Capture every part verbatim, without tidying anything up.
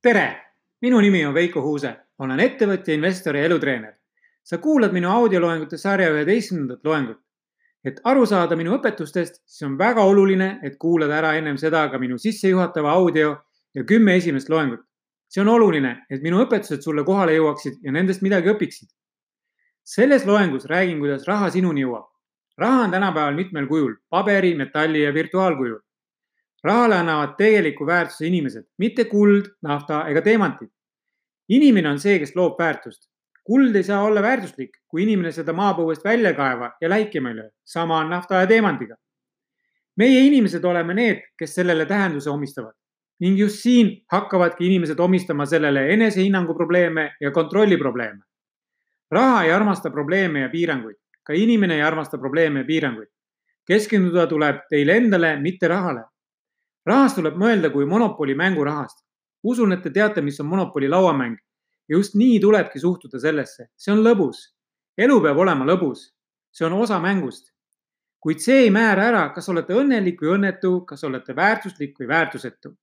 tere! Minu nimi on Veiko Huuse. Olen ettevõtja, investor ja elutreener. Sa kuulad minu audioloengute sarja üheteistkümnendat loengut. Et aru saada minu õpetustest, siis on väga oluline, et kuulad ära ennem seda ka minu sissejuhatava audio ja kümme esimest loengut. See on oluline, et minu õpetused sulle kohale jõuaksid ja nendest midagi õpiksid. Selles loengus räägin, kuidas raha sinuni jõuab. Raha on tänapäeval mitmel kujul, paberi, metalli ja virtuaalkujul. Rahale annavad tegeliku väärtuse inimesed, mitte kuld, nafta ega teemantid. Inimene on see, kes loob väärtust. Kuld ei saa olla väärtuslik, kui inimene seda maapõuest välja kaeva ja läikima ei löö. Sama on nafta ja teemandiga. Meie inimesed oleme need, kes sellele tähenduse omistavad. Ning just siin hakkavadki inimesed omistama sellele enesehinnangu probleeme ja kontrolli probleeme. Raha ei armasta probleeme ja piiranguid. Ka inimene ei armasta probleeme ja piiranguid. Keskenduda tuleb teile endale, mitte rahale. Rahast tuleb mõelda kui monopoli mängurahast. Usun, et te teate, mis on monopoli lauamäng. Ja just nii tulebki suhtuda sellesse. See on lõbus. Elu peab olema lõbus. See on osa mängust. Kuid see ei määra ära, kas olete õnnelik või õnnetu, kas olete väärtuslik või väärtusetu.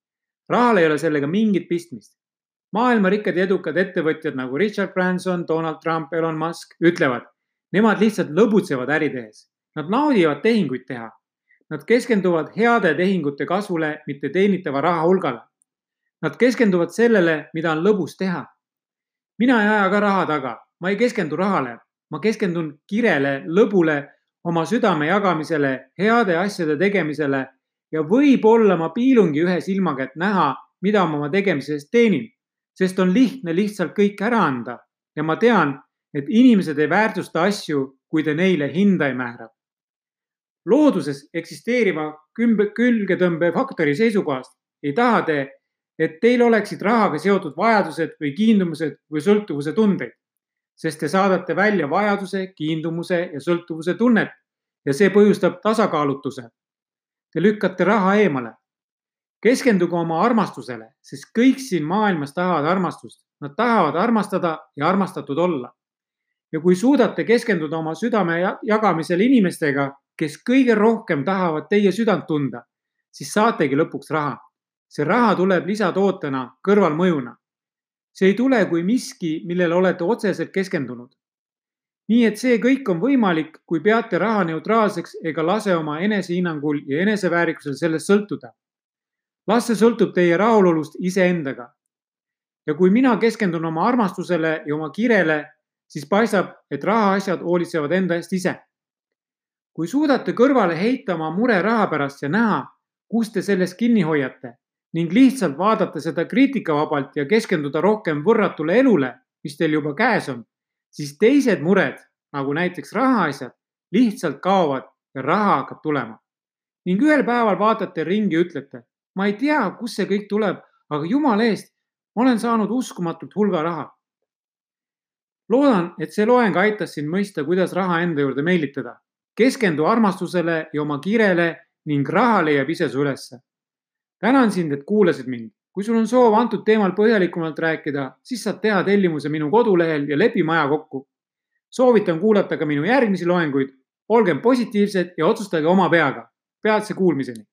Rahal ei ole sellega mingit pistmist. Maailma rikkad ja edukad ettevõtjad nagu Richard Branson, Donald Trump, Elon Musk ütlevad, nemad lihtsalt lõbutsevad äri tehes. Nad naudivad tehinguid teha. Nad keskenduvad heade tehingute kasvule, mitte teenitava raha hulgale. Nad keskenduvad sellele, mida on lõbus teha. Mina ei aja ka raha taga. Ma ei keskendu rahale. Ma keskendun kirele, lõbule, oma südame jagamisele, heade asjade tegemisele ja võib-olla ma piilungi ühe silmaga, et näha, mida ma oma tegemisest teenin, sest on lihtne lihtsalt kõik ära anda ja ma tean, et inimesed ei väärtusta asju, kui te neile hinda ei määra. Looduses eksisteeriva külgetõmbe faktori seisukohast ei taha te, et teil oleksid rahaga seotud vajadused või kiindumused või sõltuvuse tundeid, sest te saadate välja vajaduse, kiindumuse ja sõltuvuse tunnet ja see põhjustab tasakaalutuse. Te lükkate raha eemale. Keskenduge oma armastusele, sest kõik siin maailmas tahavad armastust. Nad tahavad armastada ja armastatud olla. Ja kui suudate keskenduda oma südame jagamisel inimestega, kes kõige rohkem tahavad teie südant tunda, siis saategi lõpuks raha. See raha tuleb lisatootena kõrvalmõjuna. See ei tule kui miski, millele olete otseselt keskendunud. Nii et see kõik on võimalik, kui peate raha neutraalseks ega lase oma enesehinnangul ja eneseväärikusel sellest sõltuda. Las see sõltub teie rahulolust iseendaga. Ja kui mina keskendun oma armastusele ja oma kirele, siis paistab, et rahaasjad hoolitsevad enda eest ise. Kui suudate kõrvale heita oma mure raha pärast ja näha, kus te sellest kinni hoiate ning lihtsalt vaadata seda kriitikavabalt ja keskenduda rohkem võrratule elule, mis teil juba käes on, siis teised mured, nagu näiteks rahaasjad, lihtsalt kaovad ja raha hakkab tulema. Ning ühel päeval vaatate ringi ja ütlete, ma ei tea, kus see kõik tuleb, aga jumala eest, ma olen saanud uskumatult hulga raha. Loodan, et see loeng aitas sind mõista, kuidas raha enda juurde meelitada. Keskendu armastusele ja oma kirele ning raha leiab ise su ülesse. Tänan sind, et kuulasid mind. Kui sul on soov antud teemal põhjalikumalt rääkida, siis saad teha tellimuse minu kodulehel ja lepime aja kokku. Soovitan kuulata ka minu järgmisi loenguid. Olgem positiivsed ja otsustage oma peaga. Peatse kuulmiseni.